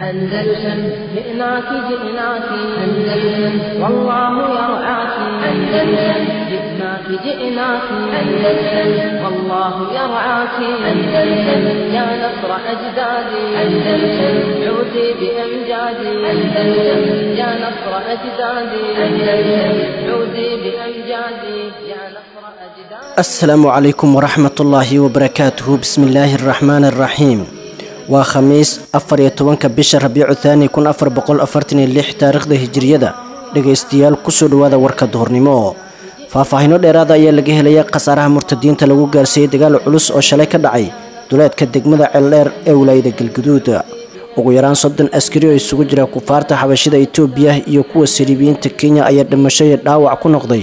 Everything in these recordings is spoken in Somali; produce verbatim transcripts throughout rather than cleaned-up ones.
أندلسن جئناك جئناك أندلسن والله يرعاك أندلسن جئناك جئناك أندلسن والله يرعاك أندلسن يا نصر أجدادي أندلسن عودي بأمجادي أندلسن يا نصر أجدادي أندلسن عودي بأمجادي يا نصر أجدادي. السلام عليكم ورحمة الله وبركاته. بسم الله الرحمن الرحيم. Waa khamiis afar iyo tobanka bisha Rabiicu Thaani kun afar boqol afartan iyo lix taariikhda hijriyada. Dhegaystayaal, kusoo dhawaada warka duhurnimo. Faahfaahino dheeraada ayaa laga helaya khasaaraha murtadiinta lagu gaarsiiyey dagaal culus oo shalay ka dhacay duleedka degmada Ceeldheer ee wilaayada Galgaduud. Ugu yaraan soddon askari oo isugu jira kufaarta xabashida Itoobiya iyo kuwa saliibiyiinta Kenya ayaa dhimasho iyo dhaawac ku noqday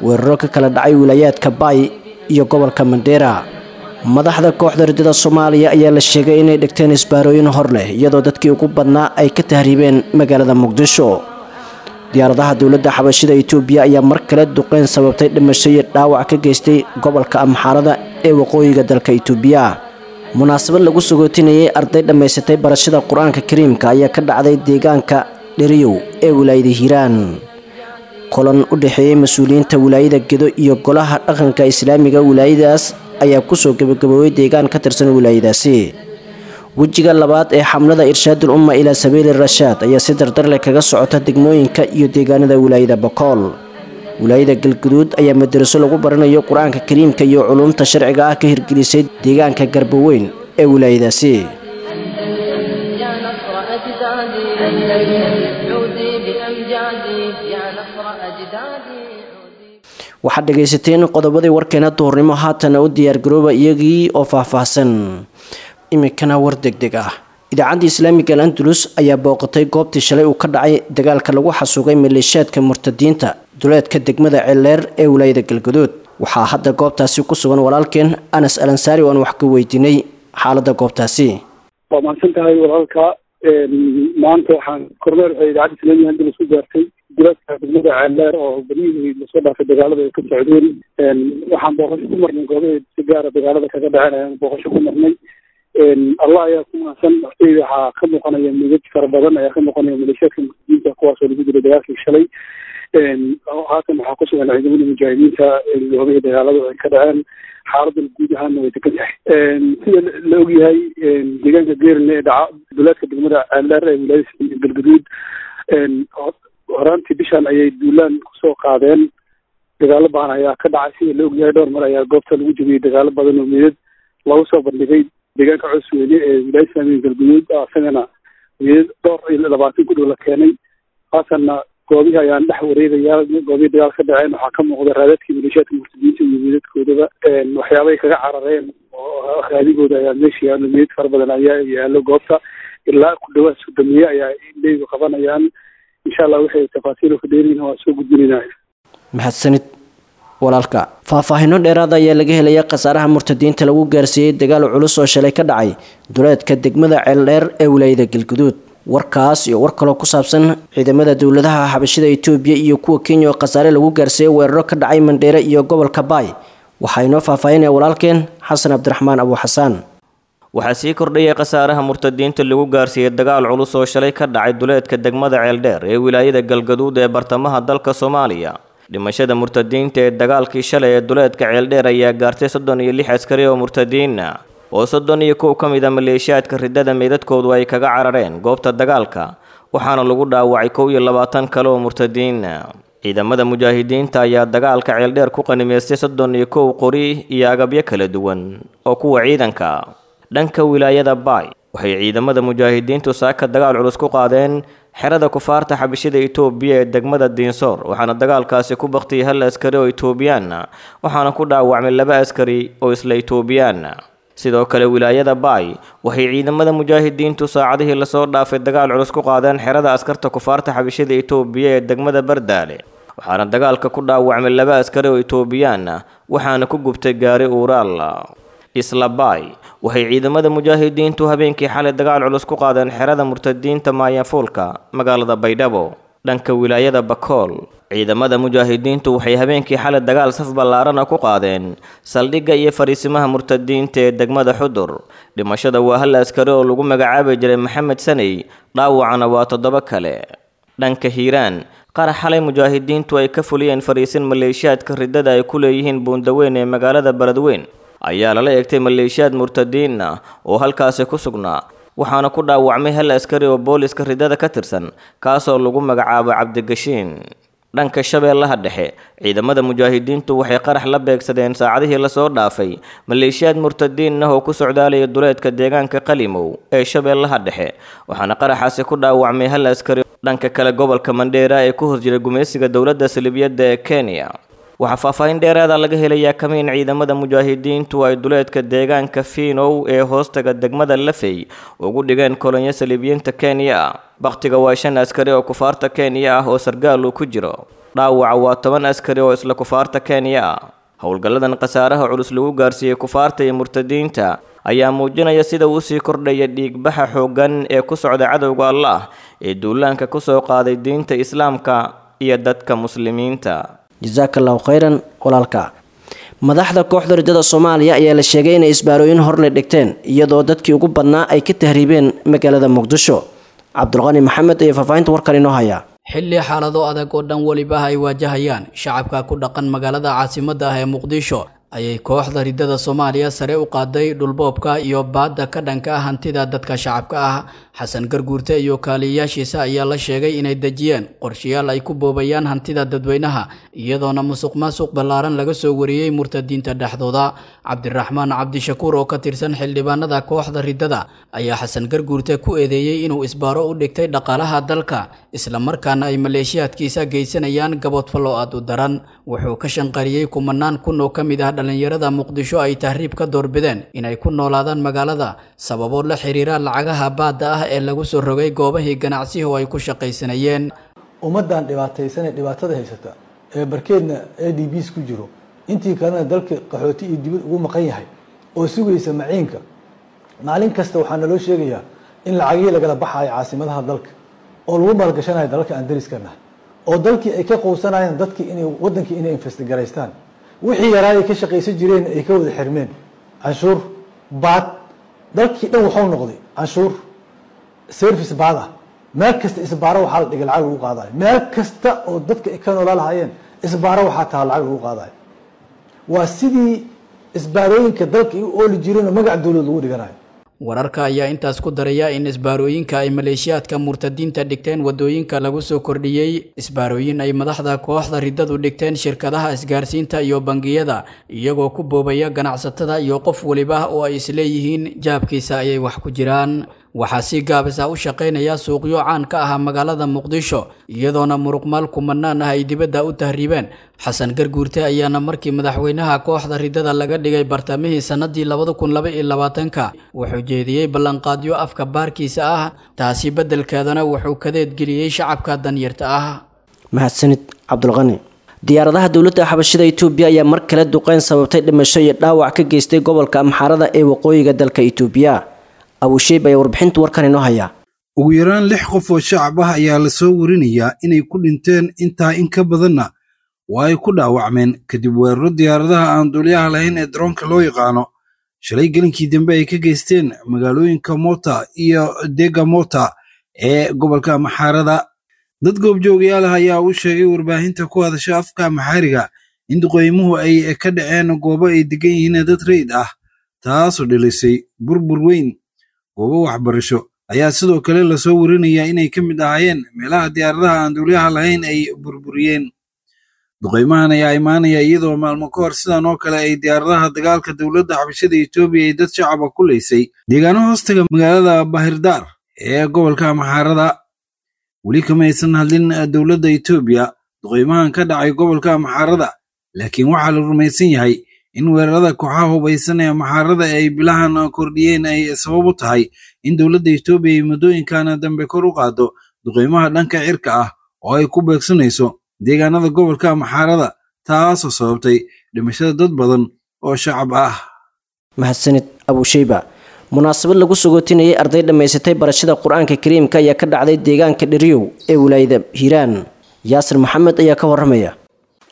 weeraro ka kala dhacay wilaayaadka Baay iyo gobolka Mandheera. Madaxda kooxda ridada Soomaaliya ayaa la sheegay inay dhigteen isbaarooyin hor leh, iyadoo dadkii ugu badnaa ay ka tahriibeen magaalada Muqdisho. Diyaaradaha dowladda xabashida Itoobiya ayaa mar kale duqeyn sababtay dhimasho iyo dhaawac ka geystay gobolka Amxaarada ee waqooyiga dalka Itoobiya. Munaasabad lagu sagootinayay arday dhammaysatay barashada Qur-aanka Kariimka ayaa ka dhacday deegaanka Dheriyow ee wilaayada Hiiraan. Kulan u dhexeeyay mas-uuliyiinta wilaayada Gedo iyo golaha dhaqanka islaamiga wilaayadaas ayaa kusoo gabagaboobay deegaan ka tirsan wilaayadaasi. Wejiga labaad ee xamlada Irshaadul Umma ilaa Sabiili Rashaad ayaa si dardar leh kaga socota degmooyinka iyo deegaanada wilaayada Bokool. Wilaayada Galguduud ayaa madaraso lagu baranayo Qur-aanka Kariimka iyo culuumta sharciga ah ka hirgelisay deegaanka Garboweyn ee wilaayadaasi. يا نصر أجدادي أندلسن عودي بأمجادي يا نصر أجدادي. Waxaad dhegaysateen qodobadii warkeena duhurnimo, haatana u diyaargarooba iyagii oo faahfaahsan. Iminkana war degdeg ah. Idaacadda islaamiga Al Andalus ayaa booqatay goobtii shalay uu ka dhacay dagaalka lagu xasuuqay maleeshiyaadka murtadiinta duleedka degmada Ceeldheer ee wilaayada Galgaduud. Waxaa hadda goobtaasi ku sugan walaalkeen Anas Alansaari oo aan wax ka weydiinay xaaladda goobtaasi. Waa mahadsan tahay walaalka. Maanta waxaan kormeer waxay idaacadda islaamiga Andalus ku gaartay duleedka degmada Ceeldheer oo berihii lasoo dhaafay dagaalada ay ka socdeen. Waxaan booqasho ku marnay goobaha si gaara dagaalada kaga dhaceen ayaan booqasho ku marnay. Allah ayaa ku mahadsan. Horteyda waxaa ka muuqanaya midad fara badan ayaa ka muuqanaya maleeshiyaadka murtadiinta kuwaasoo lagu dilay dagaalkii shalay. Haatan waxaa ku sugan ciidamada mujaahidiinta goobihii dagaaladu ay ka dhaceen. Xaaladan guud ahaana way degan tahay. Sida la ogyahay, deegaanka Geerle ee dhaca duleedka degmada Ceeldheer ee wilaayada Galgaduud horaantii bishan ayay duulaan kusoo qaadeen. Dagaalo badan ayaa ka dhacay. Sida la ogyahay, dhowr mar ayaa goobta lagu jebiyey dagaalo badan oo meydad lagu soo bandhigay. Deegaanka Cosweyne ee wilaayada islaamiga Galgaduud isagana meydad dhowr iyo labaatan ku dhow la keenay. Haatanna goobihii ayaan dhex wareegayaa. Goobihii dagaal ka dhaceen waxaa ka muuqda raadadkii maleeshiyaadka murtadiinta iyo meydadkoodaba. Waxyaabay kaga carareen oo raadigooda ayaa meesha yaallo. Meydad fara badan ayaa yaallo goobta, ilaa ku dhawaad sodomiye ayaa indheydu qabanayaan. Insha Allah waxay tafaasiil ka dheeriyiin waa soo gudbinayna. Mahadsanid walaalka. Faahfaahino dheeraada ayaa laga helaya khasaaraha murtadiinta lagu gaarsiiyey dagaal culus oo shalay ka dhacay duleedka degmada Ceeldheer ee wilaayada Galgaduud. Warkaas iyo war kaloo ku saabsan ciidamada dowladaha xabashida Itoobiya iyo kuwa Kenya oo khasaare lagu gaarsiiyey weeraro ka dhacay Mandheere iyo gobolka Baay waxaa inoo faahfaahinaya walaalkeen Xasan Cabdiraxmaan Abu Xasaan. Waxaa sii kordhayay khasaaraha murtadiinta lagu gaarsiiyey dagaal culus oo shalay ka dhacay duleedka degmada Ceeldheer ee wilaayada Galgaduud ee bartamaha dalka Soomaaliya. Dhimashada murtadiinta ee dagaalkii shalay ee duleedka Ceeldheer ayaa gaartay soddon iyo lix askari oo murtadiin ah, oo soddon iyo kow ka mid a maleeshiyaadka ridada meydadkoodu ay kaga carareen goobta dagaalka, waxaana lagu dhaawacay kow iyo labaatan kale oo murtadiin ah. Ciidamada mujaahidiinta ayaa dagaalka Ceeldheer ku qanimeystay soddon iyo kow qori iyo agabyo kala duwan oo kuwa ciidanka. Dhanka wilaayada Baay, waxay ciidamada mujaahidiintu saaka dagaal culus ku qaadeen xerada kufaarta xabashida Itoobiya ee degmada Diinsoor, waxaana dagaalkaasi ku baktiyay hal askari oo Itoobiyaan ah, waxaana ku dhaawacmay laba askari oo isla Itoobiyaan ah. Sidoo kale wilaayada Baay, waxay ciidamada mujaahidiintu saacadihii lasoo dhaafay dagaal culus ku qaadeen xerada askarta kufaarta xabashida Itoobiya ee degmada Bardaale, waxaana dagaalka ku dhaawacmay laba askari oo Itoobiyaan ah, waxaana ku gubtay gaari uuraal. Isla Baay, waxay ciidamada mujaahidiintu habeenkii xalay dagaal culus ku qaadeen xerada murtadiinta Maayafuulka magaalada Baydhabo. Dhanka wilaayada Bakool, Ciidamada mujaahidiintu waxay habeenkii xalay dagaal saf ballaarana ku qaadeen saldhigga iyo fariisimaha murtadiinta ee degmada Xudur. Dhimashada waa hal askari oo lagu magacaabi jiray Maxamed Saney, dhaawacana waa toddoba kale. Dhanka Hiiraan, qarax xalay mujaahidiintu ay ka fuliyeen fariisin maleeshiyaadka riddada ay ku leeyihiin Buundaweyn ee magaalada Beledweyn ayaa lala eegtay maleeshiyaad murtadiin ah oo halkaasi ku sugnaa, waxaana ku dhaawacmay hal askari oo booliska riddada ka tirsan, kaasoo lagu magacaabo Cabdigashiin. Dhanka Shabeellaha Dhexe, ciidamada mujaahidiintu waxay qarax la beegsadeen saacadihii lasoo dhaafay maleeshiyaad murtadiin ah oo ku socdaalaya duleedka deegaanka Qalimow ee Shabeellaha Dhexe, waxaana qaraxaasi ku dhaawacmay hal askari. Dhanka kale, gobolka Mandheera ee ku hoos jira gumaysiga dowladda Salibiyadda ee Kenya, waxaa faahfaahin dheeraada laga helayaa kamiin ciidamada mujaahidiintu ay duleedka deegaanka Fiinow ee hoostaga degmada Lafey ugu dhigeen kolonyo saliibiyiinta Kenya. Bakhtiga waa shan askari oo kufaarta Kenya ah oo sargaal uu ku jiro. Dhaawaca waa toban askari oo isla kufaarta Kenya ah. Howlgalladan khasaaraha culus lagu gaarsiiyey kufaarta iyo murtadiinta ayaa muujinaya sida uu sii kordhaya dhiigbaxa xooggan ee ku socda cadowga Allah ee duulaanka ku soo qaaday diinta Islaamka iyo dadka muslimiinta. Jazaaka allahu khayran walaalka. Madaxda kooxda riddada Soomaaliya ayaa la sheegay inay isbaarooyin hor le dhigteen, iyadoo dadkii ugu badnaa ay ka tahriibeen magaalada Muqdisho. Cabdulqani Maxamed ayaa faahfaahinta warkan inoo haya. Xilli xaalado adag oo dhan weliba ay waajahayaan shacabka ku dhaqan magaalada caasimadda ah ee Muqdisho, ayay kooxda riddada Soomaaliya sare u qaaday dhulboobka iyo baadda ka dhanka ah hantida dadka shacabka ah. Xasan Garguurte iyo kaaliyayaashiisa ayaa la sheegay inay dejiyeen qorshayaal ay ku boobayaan hantida dadweynaha, iyadoona musuqmaasuq ballaaran laga soo wariyey murtadiinta dhexdooda. Cabdiraxmaan Cabdishakuur oo ka tirsan xildhibaanada kooxda riddada ayaa Xasan Garguurte ku eedeeyey inuu isbaaro u dhigtay dhaqaalaha dalka, islamarkaana ay maleeshiyaadkiisa geysanayaan gaboodfallo aad u daran. Wuxuu ka shanqariyey kumanaan kun oo ka mid ah dhalinyarada Muqdisho ay tahriib ka doorbideen inay ku noolaadaan magaalada sababo la xiriira lacagaha baadda ah ee lagu soo rogay goobahii ganacsiga oo ay ku shaqaysanayeen. Ummaddan dhibaataysanee dhibaatada haysata ee barkeedna A D Bs ku jiro, intii kalena dalka qaxooti iyo dibad ugu maqan yahay oo sugaysa maciinka, maalin kasta waxaa naloo sheegayaa in lacagihii lagala baxaayo caasimadaha dalka oo lagu maalgashanayo dalalka aan dariska nahay, oo dalkii ay ka quusanayaan dadkii inay wadankii inay investigaraystaan, wixii yaraayay ka shaqaysan jireen ay ka wada xirmeen canshuur baad. Dalkii dhan wuxuu noqday canshuur service baad ah. Meel kasta isbaaro waxaa la dhigay lacag lagu qaadayo, meel kasta oo dadka ay ka noolaa lahaayeen isbaaro waxaa taha lacag lagu qaadayo. Waa sidii isbaarooyinka dalka ay u ooli jireen oo magac dowlad lagu dhiganayo. Wararka ayaa intaas ku daraya in isbaarooyinka ay maleeshiyaadka murtadiinta dhigteen wadooyinka lagu soo kordhiyey isbaarooyin ay madaxda kooxda riddadu dhigteen shirkadaha isgaarsiinta iyo bangiyada, iyagoo ku boobaya ganacsatada iyo qof waliba oo ay isleeyihiin jaabkiisa ayay wax ku jiraan. Waxaa si gaabis ah u shaqaynaya suuqyo caan ka ah magaalada Muqdisho, iyadoona muruqmaal kumanaan ah ay dibadda u tahriibeen. Xasan Garguurte ayaana markii madaxweynaha kooxda riddada laga dhigay bartamihii sanadii labada kun laba iyo labaatanka wuxuu jeediyey ballanqaadyo afka baarkiisa ah, taasi beddelkeedana wuxuu kadeed geliyey shacabka danyarta ah. Mahadsanid Cabdulqani. Diyaaradaha dowladda xabashida Itoobiya ayaa mar kale duqeyn sababtay dhimasho iyo dhaawac ka geystay gobolka Amxaarada ee waqooyiga dalka Itoobiya. Abusheeb ayaa warbixinta warkan inoo haya. Ugu yaraan lix qof oo shacab ah ayaa la soo warinayaa inay ku dhinteen, intaa in ka badanna waa ay ku dhaawacmeen kadib weeraro diyaaradaha aan duuliyaha lahayn ee daroonka loo yaqaano shalay gelinkii dambe ay ka geysteen magaalooyinka Mota iyo Dega Mota ee gobolka Amxaarada. Dad goobjoogayaal ah ayaa u sheegay warbaahinta ku hadasha afka Amxaariga in duqeymuhu ay ka dhaceen goobo ay degan yihiin dad rayid ah, taasoo dhilisay burbur weyn. Goobo waxbarasho ayaa sidoo kale lasoo warinayaa inay ka mid ahaayeen meelaha diyaaradaha aan duuliyaha lahayn ay burburiyeen. Duqeymahan ayaa imaanaya iyadoo maalmo ka hor sidan oo kale ay diyaaradaha dagaalka dowladda xabashada Itoobiya ay dad shacaba ku leysay deegaano hoostaga magaalada Bahirdaar ee gobolka Amxaarada. Weli kama aysan hadlin dowladda Itoobiya duqeymahan ka dhacay gobolka Amxaarada, laakiin waxaa la rumaysan yahay in weerarada kooxaha hubaysan ee Amxaarada ay bilahan kordhiyeen ay sabab u tahay in dowladda Itoobiya ay muddooyinkan dambe kor u qaado duqeymaha dhanka cirka ah oo ay ku beegsanayso deegaanada gobolka Amxaarada, taasoo sababtay dhimashada dad badan oo shacab ah. Mahadsanid Abusheyba. Munaasabad lagu sugootinayay arday dhammaysatay barashada Qur-aanka Kariimka ayaa ka dhacday deegaanka Dheriyow ee wilaayada Hiiraan. Yaasir Maxamed ayaa ka waramaya.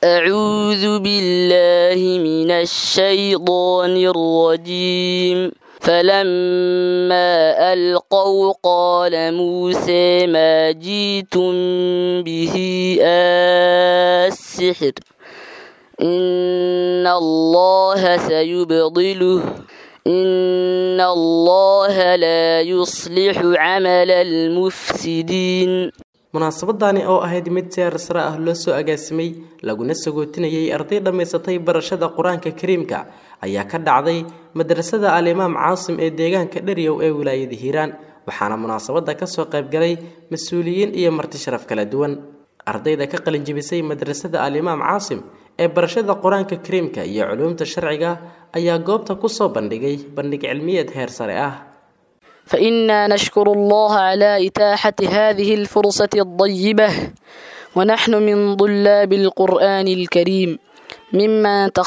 أعوذ بالله من الشيطان الرجيم. فلما ألقوا قال موسى ما جئتم به السحر إن الله سيبطله إن الله لا يصلح عمل المفسدين. Munaasabadani oo ahayd mid si heer sare ah loo soo agaasimay laguna sagootinayay arday dhammaysatay barashada Qur-aanka Kariimka ayaa ka dhacday madrasada Al-Imaam Caasim ee deegaanka Dheryow ee wilaayada Hiiraan, waxaana munaasabada ka soo qayb galay mas-uuliyiin iyo marti sharaf kala duwan. Ardayda ka qalin jebisay madrasada Al-Imaam Caasim ee barashada Qur-aanka Kariimka iyo culuumta sharciga ayaa goobta ku soo bandhigay bandhig cilmiyeed heer sare ah. فإنا نشكر الله على إتاحة هذه الفرصة الطيبة، ونحن من طلاب القرآن الكريم ممن تخصص